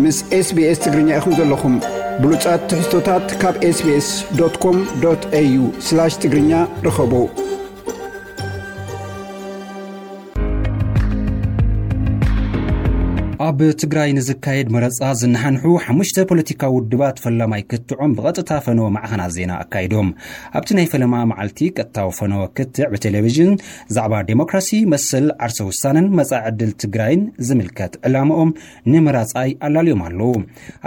ምስ SBS ትግርኛ ኢኹም ዘለኹም። ብሉጻት ትሕዝቶታት ካብ SBS.com.au/ትግርኛ ርኸቡ። ኣብ ትግራይ ንዝካየድ መረጻ ዝነሓንሑ ሓሙሽተ ፖለቲካዊ ውድባት ፈላማይ ክትዖም ብቐጥታ ፈነወ ማዕኸናት ዜና ኣካይዶም። ኣብቲ ናይ ፈለማ መዓልቲ ቀጥታዊ ፈነወ ክትዕ ብቴሌቪዥን ዛዕባ ዴሞክራሲ፣ መሰል ዓርሰ ውሳነን መጻኢ ዕድል ትግራይን ዝምልከት ዕላምኦም ንመራጻይ ኣላልዮም ኣለዉ።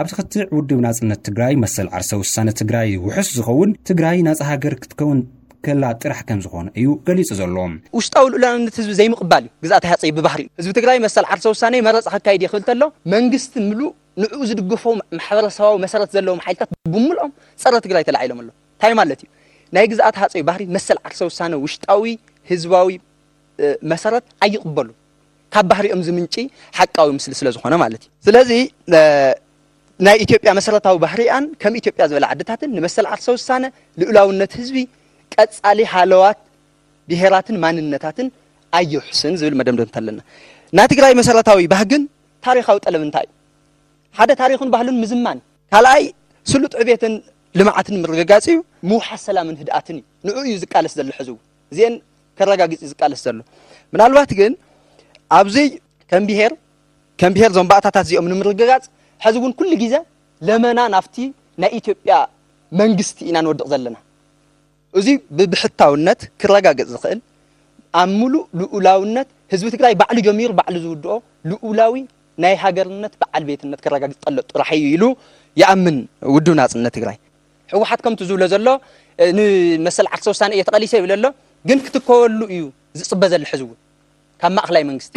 ኣብቲ ክትዕ ውድብ ናጽነት ትግራይ መሰል ዓርሰ ውሳነ ትግራይ ውሑስ ዝኸውን ትግራይ ናጻ ሃገር ክትከውን ከላ ጥራሕ ከም ዝኾነ እዩ ገሊጹ ዘሎ። ውሽጣዊ ልኡላውነት ህዝቢ ዘይምቕባል እዩ ግዝኣት ሃፀይ ብባህሪ። ህዝቢ ትግራይ መሰል ዓርሰ ውሳነ መረፃ ከካይድ ይኽእል ተሎ መንግስቲ ምሉእ ንዕኡ ዝድግፎ ማሕበረሰባዊ መሰረት ዘለዎም ሓይልታት ብምልኦም ፀረ ትግራይ ተላዒሎም ኣሎ። እንታይ ማለት እዩ? ናይ ግዝኣት ሃፀይ ባህሪ መሰል ዓርሰ ውሳነ ውሽጣዊ ህዝባዊ መሰረት ኣይቕበሉ። ካብ ባህሪኦም ዝምንጪ ሓቃዊ ምስሊ ስለ ዝኾነ ማለት እዩ። ስለዚ ናይ ኢትዮጵያ መሰረታዊ ባህሪኣን ከም ኢትዮጵያ ዝበለ ዓድታትን ንመሰል ዓርሰ ውሳነ፣ ልኡላውነት ህዝቢ፣ ቀጻሊ ሃለዋት ብሄራትን ማንነታትን ኣይውሕስን ዝብል መደምደምታ ኣለና። ናይ ትግራይ መሰረታዊ ባህግን ታሪኻዊ ጠለብ እንታይ እዩ? ሓደ ታሪኹን ባህሉን ምዝማን፣ ካልኣይ ስሉጥ ዕቤትን ልምዓትን ምርግጋጽ እዩ። ምውሓስ ሰላምን ህድኣትን እዩ። ንዑ እዩ ዝቃለስ ዘሎ ሕዚ እውን። እዚአን ከረጋግጽ እዩ ዝቃለስ ዘሎ። ምናልባት ግን ኣብዚ ከም ብሄር ከም ብሄር ዞም ባእታታት እዚኦም ንምርግጋጽ ሕዚ እውን ኩሉ ግዜ ለመና ናብቲ ናይ ኢትዮጵያ መንግስቲ ኢና ንወድቕ ዘለና። እዚ ብብሕታውነት ክረጋገጽ ዝኽእል ኣብ ሙሉእ ልኡላውነት ህዝቢ ትግራይ ባዕሉ ጀሚሩ ባዕሉ ዝውድኦ ልኡላዊ ናይ ሃገርነት በዓል ቤትነት ክረጋግጽ ጠሎ ጥራሕ እዩ ኢሉ ይኣምን ውድብ ናጽነት ትግራይ። ህወሓት ከምቲ ዝብሎ ዘሎ ንመሰል ዓርሰ ውሳነ እየ ተቐሊሰ ይብል ኣሎ፣ ግን ክትከወሉ እዩ ዝጽበ ዘሎ ሕዚ እውን ካብ ማእኸላይ መንግስቲ።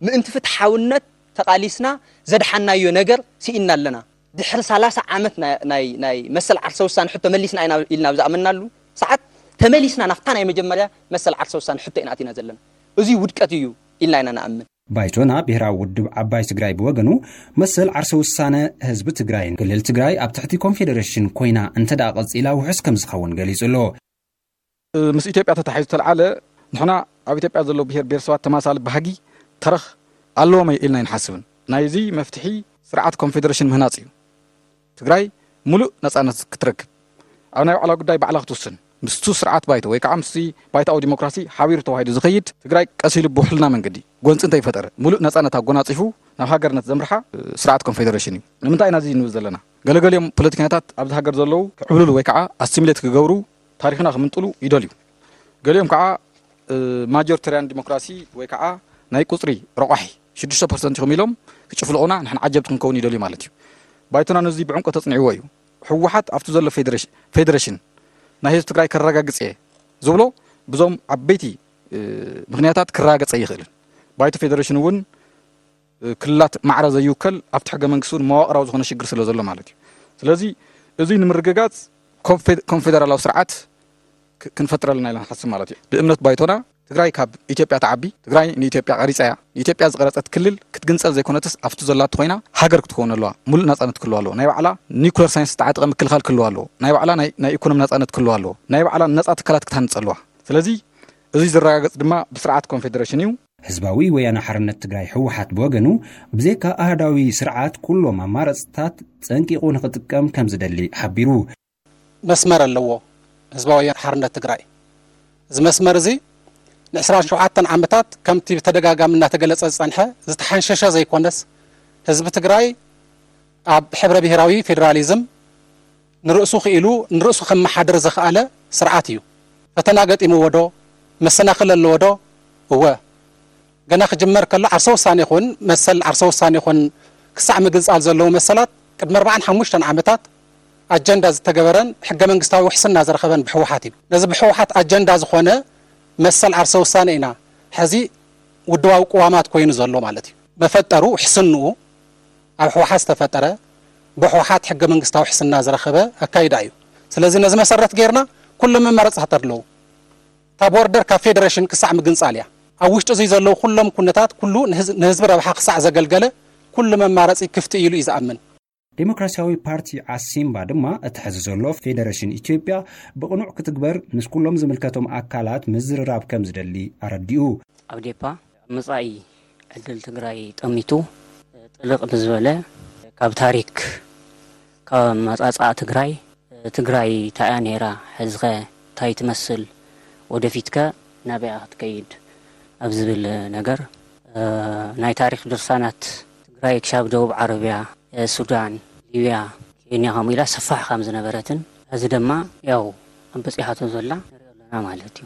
ምእንቲ ፍትሓውነት ተቓሊስና ዘድሓናዮ ነገር ስኢንና ኣለና። ድሕሪ ሰላሳ ዓመት ናይ መሰል ዓርሰ ውሳነ ሕቶ መሊስና ኢና ኢልና ኣብ ዝኣመናሉ ሰዓት ተመሊስና ናብታ ናይ መጀመርያ መሰል ዓርሰ ውሳነ ሕቶ ኢና ኣቲና ዘለና። እዚ ውድቀት እዩ ኢልና ኢና ንኣምን። ባይቶና ብሄራዊ ውድብ ዓባይ ትግራይ ብወገኑ መሰል ዓርሰ ውሳነ ህዝቢ ትግራይን ክልል ትግራይ ኣብ ትሕቲ ኮንፌደሬሽን ኮይና እንተ ደኣ ቀጺላ ውሑስ ከም ዝኸውን ገሊጹ ኣሎ። ምስ ኢትዮጵያ ተታሒዙ ተልዓለ ንሕና ኣብ ኢትዮጵያ ዘለዉ ብሄር ብሄረሰባት ተማሳሊ ባህጊ ተረኽ ኣለዎም ኢልና ኣይንሓስብን። ናይዚ መፍትሒ ስርዓት ኮንፌደሬሽን ምህናፅ እዩ። ትግራይ ሙሉእ ነፃነት ክትረክብ ኣብ ናይ ባዕላ ጉዳይ ባዕላ ክትውስን ምስቱ ስርዓት ባይቶ ወይ ከዓ ምስቲ ባይቶኣዊ ዲሞክራሲ ሓቢሩ ተዋሂዱ ዝኸይድ ትግራይ ቀስ ኢሉ ብውሕልና መንገዲ ጎንፂ እንተይፈጠረ ሙሉእ ነፃነት ኣጎናፂፉ ናብ ሃገርነት ዘምርሓ ስርዓት ኮንፌደሬሽን እዩ። ንምንታይ ኢና እዚ ንብል ዘለና? ገለገሊኦም ፖለቲከኛታት ኣብዚ ሃገር ዘለዉ ክዕብልሉ ወይ ከዓ ኣሲሚሌት ክገብሩ ታሪኽና ክምንጥሉ ይደልዩ። ገሊኦም ከዓ ማጆሪተርያን ዲሞክራሲ ወይ ከዓ ናይ ቁፅሪ ረቋሒ ሽዱሽተ ፐርሰንት ኢኹም ኢሎም ክጭፍልቑና ንሕና ዓጀብቲ ክንከውን ይደልዩ ማለት እዩ። ባይቶና ነዚ ብዕምቆት ተፅኒዕዎ እዩ። ህወሓት ኣብቲ ዘሎ ፌደሬሽን ናይ ህዝቢ ትግራይ ከረጋግፅ እየ ዝብሎ ብዞም ዓበይቲ ምክንያታት ክረጋገፅ ኣይኽእልን። ባይቶ ፌደሬሽን እውን ክልላት ማዕረ ዘይውከል ኣብቲ ሕገ መንግስቲ እውን መዋቕራዊ ዝኾነ ሽግር ስለ ዘሎ ማለት እዩ። ስለዚ እዚ ንምርግጋፅ ኮንፌደራላዊ ስርዓት ክንፈጥር ኣለና ኢልና ንሓስብ ማለት እዩ። ብእምነት ባይቶና ትግራይ ካብ ኢትዮጵያ ትዓቢ፣ ትግራይ ንኢትዮጵያ ቀሪፃ እያ። ንኢትዮጵያ ዝቐረፀት ክልል ክትግንፀል ዘይኮነትስ ኣብቲ ዘላቶ ኮይና ሃገር ክትከውን ኣለዋ። ሙሉእ ናፃነት ክህልዋ ኣለዎ። ናይ ባዕላ ኒኩለር ሳይንስ ዝተዓጠቐ ምክልኻል ክህልዋ ኣለዎ። ናይ ባዕላ ናይ ኢኮኖሚ ናፃነት ክህልዋ ኣለዎ። ናይ ባዕላ ነፃ ትካላት ክትሃንፅ ኣለዋ። ስለዚ እዚ ዝረጋገፅ ድማ ብስርዓት ኮንፌደሬሽን እዩ። ህዝባዊ ወያነ ሓርነት ትግራይ ህወሓት ብወገኑ ብዘይካ ኣህዳዊ ስርዓት ኩሎም ኣማረፅታት ፀንቂቑ ንኽጥቀም ከም ዝደሊ ሓቢሩ። መስመር ኣለዎ ህዝባዊ ወያነ ሓርነት ትግራይ። እዚ መስመር እዚ ን27 ዓመታት ከምቲ ብተደጋጋሚ እናተገለፀ ዝፀንሐ ዝተሓንሸሸ ዘይኮነስ ህዝቢ ትግራይ ኣብ ሕብረ ብሄራዊ ፌዴራሊዝም ንርእሱ ክኢሉ ንርእሱ ከመሓድር ዘኽኣለ ስርዓት እዩ። ፈተና ገጢምዎ ዶ? መሰናኽል ኣለዎ ዶ? እወ። ገና ክጅመር ከሎ ዓርሰ ውሳኔ ይኹን መሰል ዓርሰ ውሳኔ ይኹን ክሳዕ ምግንጻል ዘለዉ መሰላት ቅድሚ ኣርባዓን ሓሙሽተን ዓመታት ኣጀንዳ ዝተገበረን ሕገ መንግስታዊ ውሕስና ዝረኸበን ብህወሓት እዩ። ነዚ ብህወሓት ኣጀንዳ ዝኾነ መሰል ዓርሰ ውሳኔ ኢና ሕዚ ውድባዊ ቅዋማት ኮይኑ ዘሎ ማለት እዩ። መፈጠሩ ውሕስንኡ ኣብ ህወሓት ዝተፈጠረ ብህወሓት ሕገ መንግስታዊ ውሕስና ዝረኸበ ኣካይዳ እዩ። ስለዚ ነዚ መሰረት ጌርና ኩሎም መማረፅታት ኣለዉ። እታ ቦርደር ካብ ፌደሬሽን ክሳዕ ምግንፃል እያ። ኣብ ውሽጢ እዙይ ዘለዉ ኩሎም ኩነታት ኩሉ ንህዝቢ ረብሓ ክሳዕ ዘገልገለ ኩሉ መማረፂ ክፍቲ እዩ ኢሉ እዩ ዝኣምን። ዴሞክራሲያዊ ፓርቲ ዓሲምባ ድማ እቲ ሕዚ ዘሎ ፌደሬሽን ኢትዮጵያ ብቕኑዕ ክትግበር ምስ ኩሎም ዝምልከቶም ኣካላት ምዝርራብ ከም ዝደሊ ኣረዲኡ። ኣብ ዴፓ ኣብ መጻኢ ዕድል ትግራይ ጠሚቱ ጥልቕ ብዝበለ ካብ ታሪክ፣ ካብ ኣመጻጽኣ ትግራይ፣ ትግራይ እንታይ እያ ነይራ፣ ሕዚ ኸ እንታይ ትመስል፣ ወደፊት ከ ናበይ እያ ክትከይድ ኣብ ዝብል ነገር፣ እ፣ ናይ ታሪክ ድርሳናት ትግራይ ክሻብ ደቡብ ዓረብያ፣ እ፣ ሱዳን፣ ሊብያ፣ ኬንያ ከምኡ ኢላ ሰፋሕ ከም ዝነበረትን፣ ሕዚ ድማ ያው ኣብ በጺሓቶ ዘላ ንሪኦ ኣለና ማለት እዩ።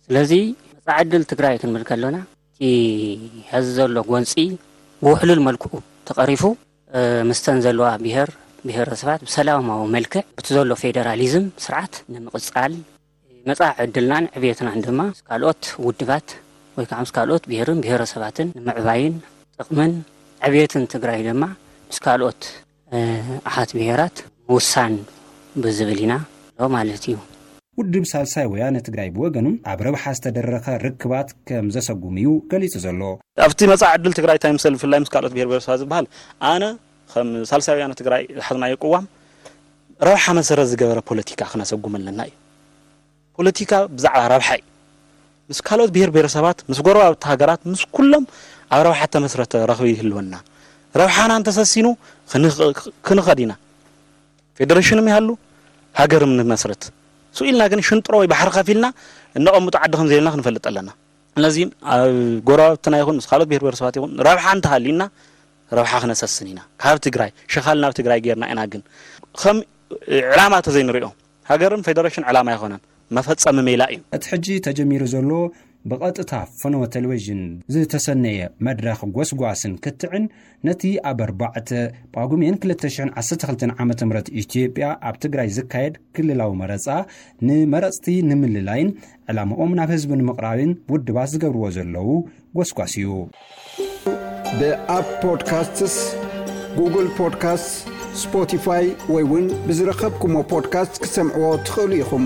ስለዚ መጻኢ ዕድል ትግራይ ክንብል ከሎና፣ እቲ ሕዚ ዘሎ ጎንጺ ብውሕሉል መልክዑ ተቐሪፉ፣ እ፣ ምስተን ዘለዋ ብሔር ብሔረሰባት ብሰላማዊ መልክዕ፣ ብቲ ዘሎ ፌደራሊዝም ስርዓት ንምቕጻል፣ መጻኢ ዕድልናን ዕብየትናን ድማ ምስ ካልኦት ውድባት ወይ ከዓ ምስ ካልኦት ብሔርን ብሔረሰባትን ንምዕባይን ጥቕምን ዕብየትን ትግራይ ድማ ምስ ካልኦት፣ እ፣ ኣሓት ብሔራት ምውሳን ብዝብል ኢና ንብሎ ማለት እዩ። ውድብ ሳልሳይ ወያነ ትግራይ ብወገኑ፣ ኣብ ረብሓ ዝተደረኸ ርክባት ከም ዘሰጉም እዩ ገሊጹ ዘሎ። ኣብቲ መጻኢ ዕድል ትግራይ እንታይ ምሰል፣ ብፍላይ ምስ ካልኦት ብሔር ብሔረሰባት ዝበሃል፣ ኣነ ከም ሳልሳይ ወያነ ትግራይ ዝሓዝናዮ ቅዋም ረብሓ መሰረት ዝገበረ ፖለቲካ ክነሰጉም ኣለና እዩ። ፖለቲካ ብዛዕባ ረብሓ እዩ። ምስ ካልኦት ብሔር ብሔረሰባት፣ ምስ ጎረባብቲ ሃገራት፣ ምስ ኩሎም ኣብ ረብሓ ተመስረተ ረኽቢ ይህልወና። ረብሓና እንተሰሲኑ ክንኽ-፣ ክንኸድ ኢና። ፌደሬሽንም ይሃሉ፣ ሃገርም ንመስረት። ስኡ ኢልና ግን ሽንጥሮ ወይ ባሕሪ ከፊልና እነቐምጦ ዓዲ ከም ዘየልና ክንፈልጥ ኣለና። ስለዚ ኣብ ጎረባብትና ይኹን ምስ ካልኦት ብሔር ብሔረሰባት ይኹን ረብሓ እንተሃልዩና ረብሓ ክነሰስን ኢና። ካብ ትግራይ ሸኻል ናብ ትግራይ ጌርና ኢና። ግን ከም ዕላማ ተዘይንሪኦ፣ ሃገርን ፌደሬሽን ዕላማ ኣይኮነን፣ መፈጸሚ ሜላ እዩ። እቲ ሕጂ ተጀሚሩ ዘሎ ብቐጥታ ፈነወ ቴሌቪዥን ዝተሰነየ መድረኽ ጎስጓስን ክትዕን፣ ነቲ ኣብ ኣርባዕተ ጳጉሜን ክልተ ሽሕን ዓሰርተ ክልተን ዓመተ ምህረት ኢትዮጵያ ኣብ ትግራይ ዝካየድ ክልላዊ መረጻ ንመረጽቲ ንምልላይን ዕላምኦም ናብ ህዝቢ ንምቕራብን ውድባት ዝገብርዎ ዘለዉ ጎስጓስ እዩ። ብኣፕ ፖድካስትስ፣ ጉግል ፖድካስትስ፣ ስፖቲፋይ ወይ እውን ብዝረኸብኩሞ ፖድካስት ክትሰምዕዎ ትኽእሉ ኢኹም።